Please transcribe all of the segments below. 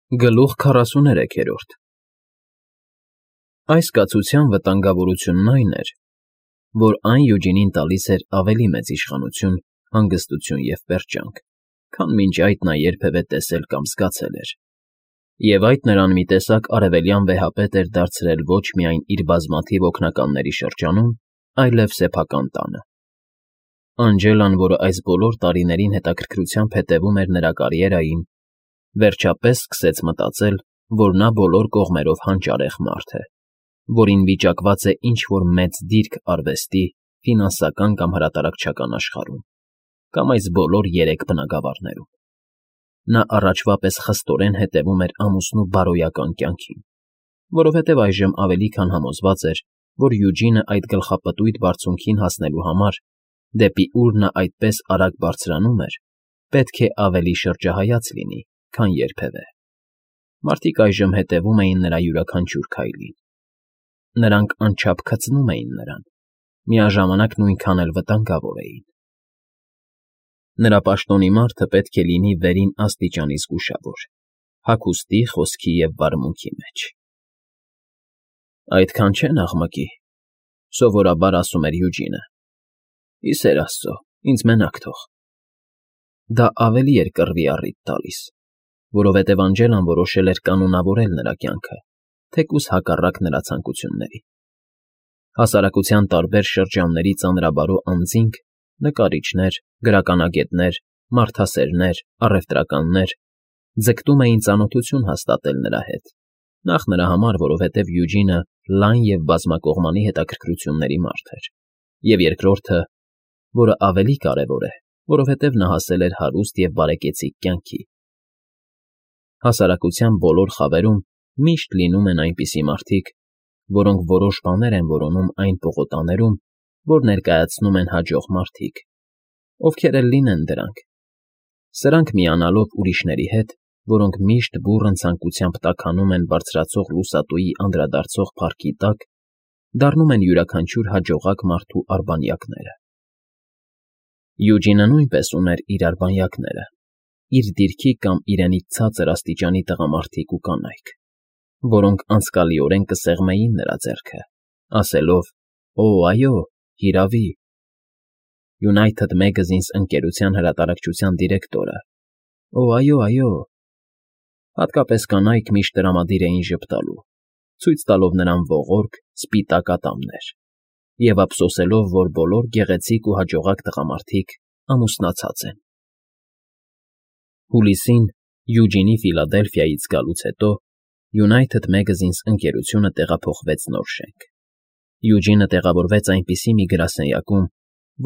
Գլուխ 43 Այս կացության վտանգավորությունն այն էր, որ այն Յուջինին տալիս էր ավելի մեծ իշխանություն, հանգստություն և պերճանք, քան մինչ այդ նա երբևէ տեսել կամ զգացել էր, և այդ նրան մի տեսակ արևելյան վեհապետ էր դարձրել ոչ միայն իր բազմաթիվ օգնականների շրջանում, այլև սեփական տանը։ Անջելան, որը այս բոլոր տարիներին հետաքրքրությամբ հետևում էր նրա կարիերային, վերջապես սկսեց մտածել, որ նա բոլոր կողմերով հանճարեղ մարդ է, որին վիճակված է ինչ-որ մեծ դիրք արվեստի, ֆինանսական կամ հրատարակչական աշխարհում, կամ այս բոլոր երեք բնագավառներում։ Նա առաջվա պես խստորեն հետևում էր ամուսնու բարոյական կյանքին, որովհետև այժմ ավելի քան համոզված էր, որ Յուջինը այդ գլխապտույտ բարձունքին հասնելու համար, դեպի ուր նա այդպես արագ բարձրանում էր, պետք է ավելի շրջահայաց լինի, քան երբևէ։ Մարդիկ այժմ հետևում էին նրա յուրաքանչյուր քայլին։ Նրանք անչափ քծնում էին նրան, միաժամանակ նույնքան էլ վտանգավոր էին։ Նրա պաշտոնի մարդը պետք է լինի վերին աստիճանի զգուշավոր, հագուստի, խոսքի և վարմունքի մեջ։ Այդքան չեն աղմկի, սովորաբար ասում էր Յուջինը։ Ի սեր Աստծո, ինձ մենակ թող։ Դա ավելի էր կռվի առիթ տալիս, որովհետև Անջելան որոշել էր կանոնավորել նրա կյանքը, թեկուզ հակառակ նրա ցանկությունների։ Հասարակության տարբեր շրջանների ծանրաբարո անձինք, նկարիչներ, գրականագետներ, մարդասերներ, առևտրականներ, ձգտում էին ծանոթություն հաստատել նրա հետ, նախ նրա համար, որովհետև Յուջինը լայն և բազմակողմանի հետաքրքրությունների մարդ էր, և երկրորդը, որը ավելի կարևոր է, որովհետև նա հասել էր հարուստ և բարեկեցիկ կյանքի։ Հասարակության բոլոր խավերում միշտ լինում են այնպիսի մարդիկ, որոնք որոշ բաներ են որոնում այն պողոտաներում, որ ներկայացնում են հաջող մարդիկ, ովքեր էլ լինեն դրանք։ Սրանք միանալով ուրիշների հետ, որոնք միշտ բուռն ցանկությամբ տաքանում են բարձրացող լուսատուի անդրադարձող փառքի տակ, դառնում են յուրաքանչյուր հաջողակ մարդու արբանյակները։ Յուջինը նույնպես ուներ իր արբանյակները, իր դիրքի կամ իրենից ցածր աստիճանի տղամարդիկ ու կանայք, որոնք անցկալիորեն կսեղմեին նրա ձեռքը, ասելով. «Օ, այո, հիրավի»։ United Magazines ընկերության հրատարակչության դիրեկտորը. «Օ, այո»։ Հատկապես կանայք միշտ տրամադիր էին ժպտալու, ցույց տալով նրան ողորկ, սպիտակ ատամներ և ափսոսելով, որ բոլոր գեղեցիկ ու հաջողակ տղամարդիկ ամուսնացած են։ Հուլիսին, Յուջինի Ֆիլադելֆիայից գալուց հետո, United Magazines ընկերությունը տեղափոխվեց նոր շենք։ Յուջինը տեղավորվեց այնպիսի մի գրասենյակում,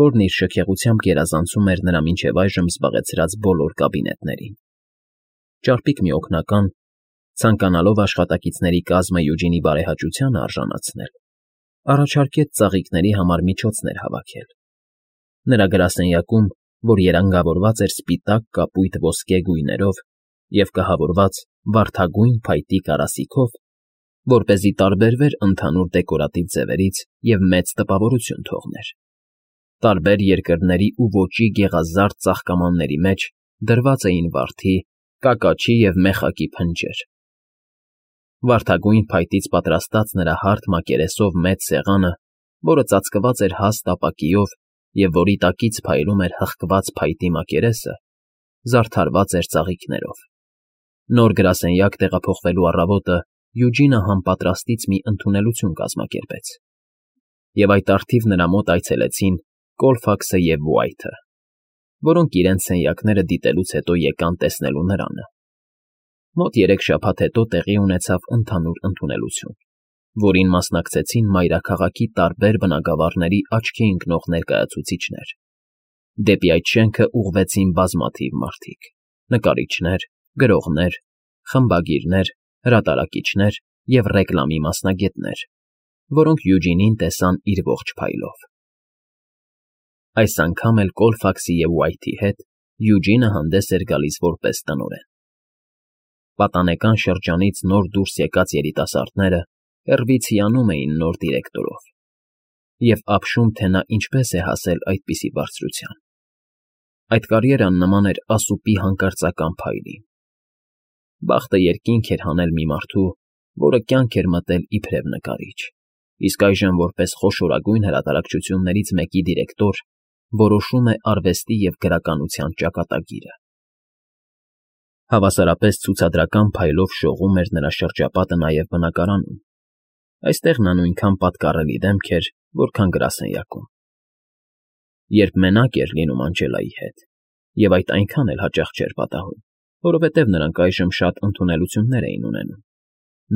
որն իր շքեղությամբ գերազանցում էր նրա մինչև այժմ զբաղեցրած բոլոր կաբինետներին։ Ճարպիկ մի օգնական, ցանկանալով աշխատակիցների կազմը Յուջինի բարեհաճությանը արժանացնել, առաջարկեց ծաղիկների համար միջոցներ հավաքել։ Նրա գրասենյակում, որ երանգավորված էր սպիտակ կապույտ ոսկե գույներով և կահավորված վարդագույն փայտի կարասիքով, որպեսզի տարբերվեր ընդհանուր դեկորատիվ ձևերից և մեծ տպավորություն թողներ, տարբեր երկրների ու ոճի գեղազարդ ծաղկամանների մեջ դրված էին վարդի, կակաչի և մեխակի փնջեր։ Վարդագույն փայտից պատրաստած նրա հարթ մակերեսով մեծ սեղանը, որը ծածկված էր հաստ ապակիով և որի տակից փայլում էր հղկված փայտի մակերեսը, զարդարված էր ծաղիկներով։ Նոր գրասենյակ տեղափոխվելու առավոտը Յուջինը համապատրաստից մի ընդունելություն կազմակերպեց, և այդ առթիվ նրա մոտ այցելեցին Կոլֆաքսը և Ուայթը, որոնք իրենց սենյակները դիտելուց հետո եկան տեսնելու նրանը։ Մոտ 3 շաբաթ հետո տեղի ունեցավ ընդհանուր ընդունելություն, որին մասնակցեցին մայրաքաղաքի տարբեր բնագավառների աչքի ընկնող ներկայացուցիչներ։ Դեպի այդ շենքը ուղղվեցին բազմաթիվ մարդիկ՝ նկարիչներ, գրողներ, խմբագիրներ, հրատարակիչներ և ռեկլամի մասնագետներ, որոնք Յուջինին տեսան իր ողջ փայլով։ Այս անգամ էլ Կոլֆաքսի և Ուայթի հետ Յուջինը հանդես էր գալիս որպես տնօրեն։ Պատանեկան շրջանից նոր դուրս եկած երիտասարդները հեռվից հիանում էին նոր դիրեկտորով և ապշում, թե նա ինչպես է հասել այդպիսի բարձրության։ Այդ կարիերան նման էր ասուպի հանկարծական փայլին։ Բախտը երկինք էր հանել մի մարդու, որը կյանք էր մտել իբրև նկարիչ, իսկ այժմ որպես խոշորագույն հրատարակչություններից մեկի դիրեկտոր որոշում է արվեստի և գրականության ճակատագիրը։ Հավասարապես ցուցադրական փայլով շողում էր նրա շրջապատը նաև բնակարանում։ Այստեղ նա նույնքան պատկառելի դեմք էր, որքան գրասենյակում։ Երբ մենակ էր լինում Անջելայի հետ, և այդ այնքան էլ հաճախ չէր պատահում, որովհետև նրանք այժմ շատ ընդունելություններ էին ունենում,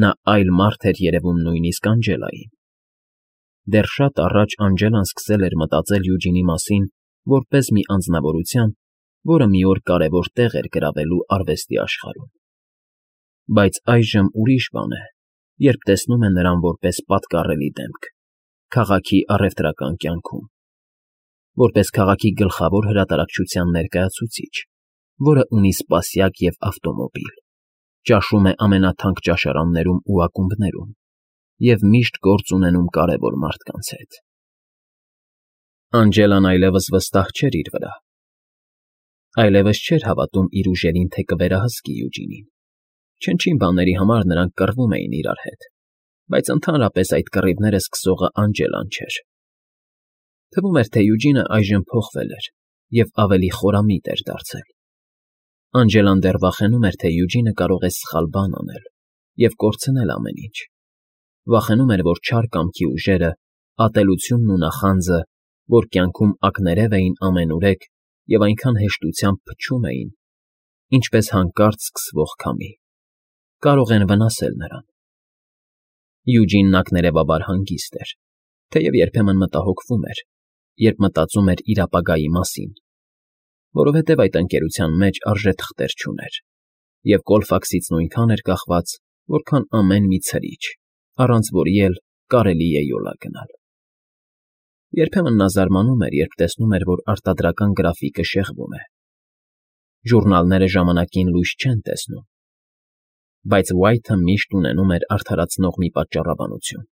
նա այլ մարդ էր երևում նույնիսկ Անջելային։ Դեռ շատ առաջ Անջելան սկսել էր մտածել Յուջինի մասին որպես մի անձնավորության, որը մի օր կարևոր տեղ էր գրավելու արվեստի աշխարհում։ Բայց այժմ ուրիշ բան է, երբ տեսնում է նրան որպես պատկառելի դեմք, քաղաքի առևտրական կյանքում, որպես քաղաքի գլխավոր հրատարակչության ներկայացուցիչ, որը ունի սպասյակ և ավտոմոբիլ, ճաշում է ամենաթանկ ճաշարաններում ու ակումբներում և միշտ գործ ունենում կարևոր մարդկանց հետ։ Անջելան այլևս վստահ չէր իր վրա, այլևս չէր հավատում իր ուժերին, թե կվերահսկի Յուջինին։ Չնչին բաների համար նրանք կռվում էին իրար հետ, բայց ընդհանրապես այդ կռիվները սկսողը Անջելան չէր։ Թվում էր, թե Յուջինը այժմ փոխվել էր և ավելի խորամիտ էր դարձել։ Անջելան դեռ վախենում էր, թե Յուջինը կարող է սխալ բան անել և կորցնել ամեն ինչ։ Վախենում էր, որ չար կամքի ուժերը, ատելությունն ու նախանձը, որ կյանքում ակներև էին ամենուրեք և այնքան հեշտությամբ փչում էին, ինչպես հանկարծ սկսվող քամի, կարող են վնասել նրան։ Յուջինն ակներևաբար հանգիստ էր, թեև երբեմն մտահոգվում էր, երբ մտածում էր իր ապագայի մասին, որովհետև այդ ընկերության մեջ արժե թղթեր չուներ, և Կոլֆաքսից նույնքան էր կախված, որքան ամեն մի ցրիչ, առանց որի էլ կարելի է յոլա գնալ։ Երբեմն նա զարմանում էր, երբ տեսնում էր, որ արտադրական գրաֆիկը շեղվում է։ Ժուրնալները ժամանակին լույս չեն տեսնում, բայց Ուայթը միշտ ունենում էր արդարացնող մի պատճառաբանություն։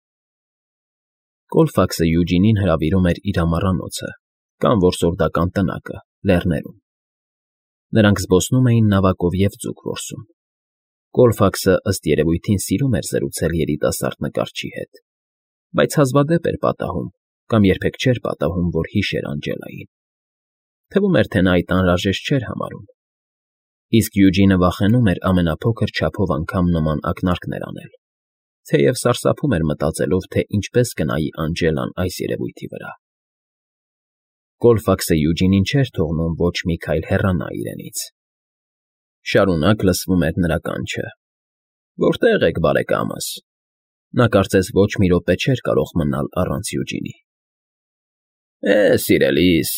Կոլֆաքսը Յուջինին հրավիրում էր իր ամառանոցը կամ որսորդական տնակը լեռներում։ Նրանք զբոսնում էին նավակով և ձուկ որսում։ Կոլֆաքսը, ըստ երևույթին, սիրում էր զրուցել երիտասարդ նկարչի հետ, բայց հազվադեպ էր պատահում կամ երբեք չէր պատահում, որ հիշեր Անջելային։ Թվում էր, թե նա այդ անհրաժեշտ չէր համարում։ Իսկ Յուջինը վախենում էր ամենափոքր չափով անգամ նման ակնարկներ անել, թեև սարսափում էր մտածելով, թե ինչպես կնայի Անջելան այս երևույթի վրա։ Կոլֆաքսը Յուջինին չէր թողնում ոչ մի քայլ հեռանա իրենից։ Շարունակ լսվում էր նրա կանչը. «Որտե՞ղ եք, բարեկամս»։ Նա կարծես ոչ մի րոպե չէր կարող մնալ առանց Յուջինի։ Սիրելիս,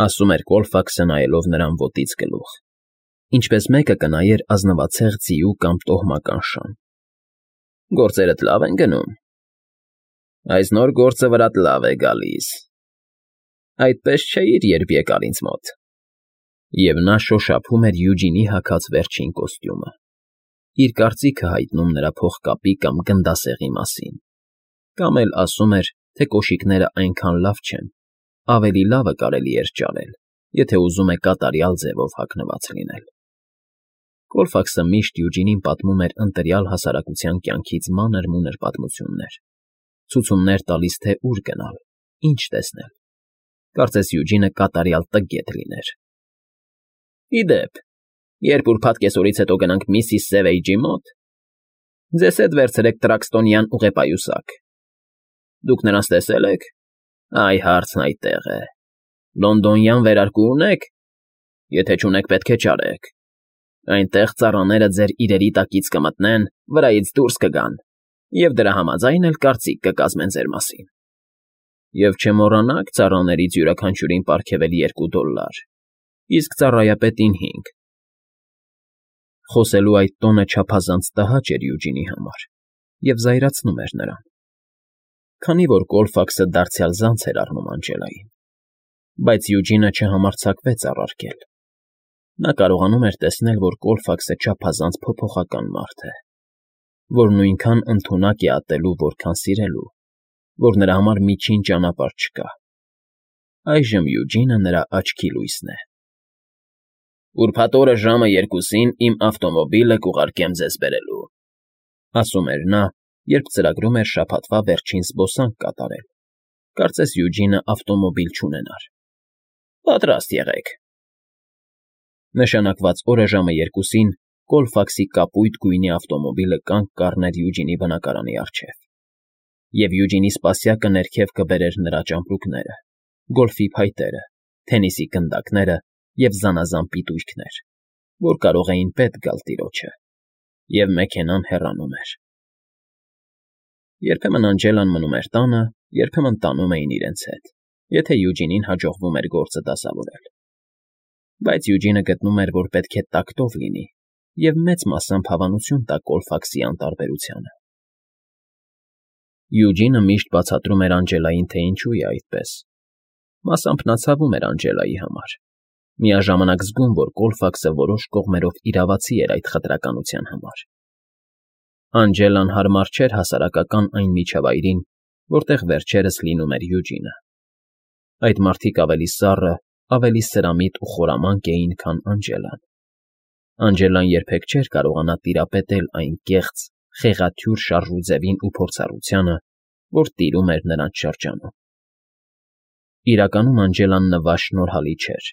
ասում էր Կոլֆաքսը նայելով նրան ոտից գլուխ, ինչպես մեկը կնայեր ազնվացեղ ձիու կամ տոհմական շան։ Գործերդ լավ են գնում։ Այս նոր գործը վրադ լավ է գալիս։ Այդպես չէիր, երբ եկար ինձ մոտ։ Եվ նա շոշափում էր Յուջինի հագած վերջին կոստյումը, իր կարծիքը հայտնում նրա փողկապի կամ գնդասեղի մասին, կամ էլ ասում էր, թե կոշիկները այնքան լավ չեն, ավելի լավը կարելի էր ճարել, եթե ուզում է կատարյալ ձևով հագնված լինել։ Կոլֆաքսը միշտ Յուջինին պատմում էր ընտրյալ հասարակության կյանքից մանր-մունր պատմություններ, ցուցումներ տալիս, թե ուր գնալ, ինչ տեսնել։ Կարծես Յուջինը կատարյալ տգետ լիներ։ Ի դեպ, երբ ուրբաթ կեսօրից հետո գնանք միսիս Սևեյջի մոտ, ձեզ հետ վերցրեք Տրաքստոնյան ուղեպայուսակ։ Դուք նրանց տեսե՞լ եք։ Այ հարցն այդտեղ է։ Լոնդոնյան վերարկու ունե՞ք։ Եթե չունեք, պետք է ճարեք։ Այնտեղ ծառաները ձեր իրերի տակից կմտնեն, վրայից դուրս կգան և դրա համաձայն էլ կարծիք կկազմեն ձեր մասին։ Եվ չմոռանաք ծառաներից յուրաքանչյուրին պարգևել $2, իսկ ծառայապետին 5։ Խոսելու այդ տոնը չափազանց տհաճ էր Յուջինի համար և զայրացնում էր նրան, քանի որ Կոլֆաքսը դարձյալ զանց էր առնում Անջելային, բայց Յուջինը չհամարձակվեց առարկել։ Նա կարողանում էր տեսնել, որ Կոլֆաքսը չափազանց փոփոխական մարդ է, որ նույնքան ընդունակ է ատելու, որքան սիրելու, որ նրա համար միջին ճանապարհ չկա։ Այժմ Յուջինը նրա աչքի լույսն է։ Ուրբաթ օրը ժամը 2-ին իմ ավտոմոբիլը կուղարկեմ ձեզ բերելու, ասում էր նա, երբ ծրագրում էր շաբաթվա վերջին զբոսանք կատարել, կարծես Յուջինը ավտոմոբիլ չունենար։ Պատրաստ եղեք։ Նշանակված օրը ժամը 2-ին Կոլֆաքսի կապույտ գույնի ավտոմոբիլը կանգ կառներ Յուջինի բնակարանի առջև, և Յուջինի սպասյակը ներքև կբերեր նրա ճամպրուկները, գոլֆի փայտերը, թենիսի գնդակները և զանազան պիտույքներ, որ կարող էին պետք գալ տիրոջը, և մեքենան հեռանում էր։ Երբեմն Անջելան մնում էր տանը, երբեմն տանում էին իրենց հետ, եթե Յուջինին հաջողվում էր գործը դասավորել։ Բայց Յուջինը գտնում էր, որ պետք է տակտով լինի և մեծ մասամբ հավանություն տա Կոլֆաքսի անտարբերությանը։ Յուջինը միշտ բացատրում էր Անջելային, թե ինչու է այդպես։ Մասամբ նա ցավում էր Անջելայի համար, միաժամանակ զգում, որ Կոլֆաքսը որոշ կողմերով իրավացի էր այդ խտրականության համար։ Անջելան հարմար չէր հասարակական այն միջավայրին, որտեղ վերջերս լինում էր Յուջինը։ Այդ մարդիկ ավելի սառը, ավելի սրամիտ ու խորամանկ էին, քան Անջելան։ Անջելան երբեք չէր կարողանա տիրապետել այն կեղծ, խեղաթյուրի շարժուձևին ու փորձառությանը, որ տիրում էր նրանց շրջանում։ Իրականում Անջելան նվազ շնորհալի չէր,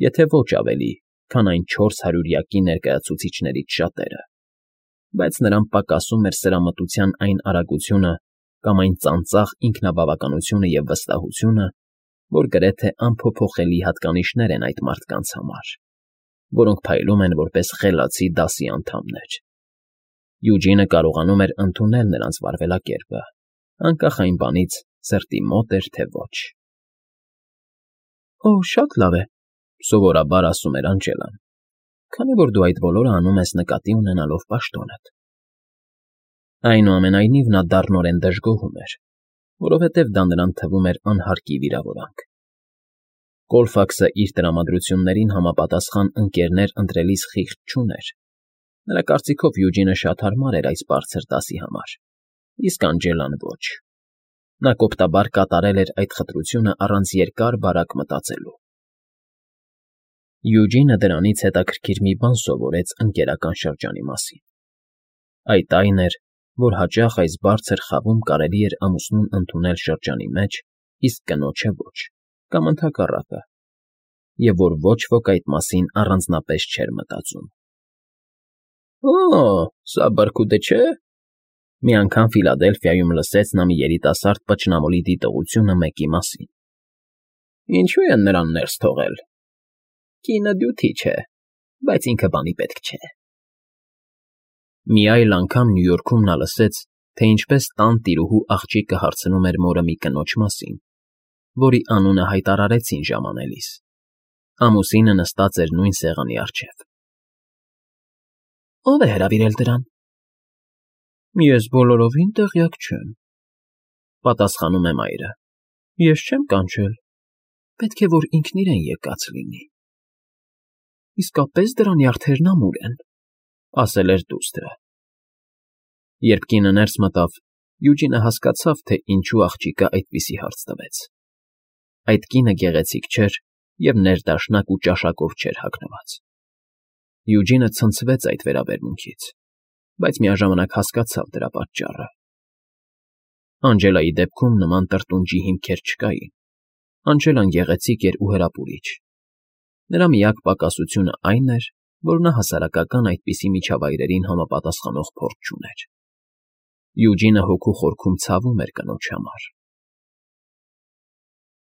եթե ոչ ավելի, քան այն 400-յակի ներկայացուցիչներից շատերը, բայց նրան պակասում էր սրամտության այն արագությունը կամ այն ծանծաղ ինքնաբավականությունը և վստահությունը, որ գրեթե անփոփոխելի հատկանիշներ են այդ մարդկանց համար, որոնք փայլում են որպես խելացի դասի անդամներ։ Յուջինը կարողանում էր ընդունել նրանց վարվելակերպը, անկախ այն բանից սրտի մոտ էր, թե ոչ։ «Օ, շատ լավ է», սովորաբար ասում էր Անջելան, «քանի որ դու այդ բոլորը անում ես նկատի ունենալով պաշտոնդ»։ Այնուամենայնիվ նա դառնորեն դժգոհում էր, որովհետև դա նրան թվում էր անհարկի վիրավորանք։ Կոլֆաքսը իր տրամադրություններին համապատասխան ընկերներ ընտրելիս խիղճ չուներ։ Նրա կարծիքով Յուջինը շատ հարմար էր այս բարձր դասի համար, իսկ Անջելան ոչ։ Նա կոպտաբար կատարել էր այդ խտրությունը առանց երկար֊բարակ մտածելու։ Յուջինը դրանից հետաքրքիր մի բան սովորեց ընկերական շրջանի մասին։ Այդ այն էր, որ հաճախ այս բարձր խավում կարելի էր ամուսնուն ընդունել շրջանի մեջ, իսկ կնոջը ոչ, կամ ընդհակառակը, և որ ոչ ոք այդ մասին առանձնապես չէր մտածում։ «Օ, սա բրքուտը չէ՞», մի անգամ Ֆիլադելֆիայում լսեց նա մի երիտասարդ պճնամոլի դիտողությունը մեկի մասին։ «Ինչու են նրան ներս թողել։ Կինը դյութի չէ, բայց ինքը բանի պետք չէ»։ Մի այլ անգամ Նյու Յորքում նա լսեց, թե ինչպես տան տիրուհու աղջիկը հարցնում էր մորը մի կնոջ մասին, որի անունը հայտարարեցին ժամանելիս։ Ամուսինը նստած էր նույն սեղանի առջև։ «Ո՞վ է հրավիրել դրան»։ «Ես բոլորովին տեղյակ չեմ», պատասխանում է մայրը։ «Ես չեմ կանչել, պետք է որ ինքն իրեն եկած լինի»։ «Իսկապես դրա նյարդերն ամուր են», ասել էր դուստրը։ Երբ կինը ներս մտավ, Յուջինը հասկացավ, թե ինչու աղջիկը այդպիսի հարց տվեց։ Այդ կինը գեղեցիկ չէր և ներդաշնակ ու ճաշակով չէր հագնված։ Յուջինը ցնցվեց այդ վերաբերմունքից, բայց միաժամանակ հասկացավ դրա պատճառը։ Անջելայի դեպքում նման տրտունջի հիմքեր չկային։ Անջելան գեղեցիկ էր ու հրապուրիչ։ Նրա միակ պակասությունը այն էր, որ նա հասարակական այդպիսի միջավայրերին համապատասխանող փորձ չուներ։ Յուջինը հոգու խորքում ցավում էր կնոջ համար,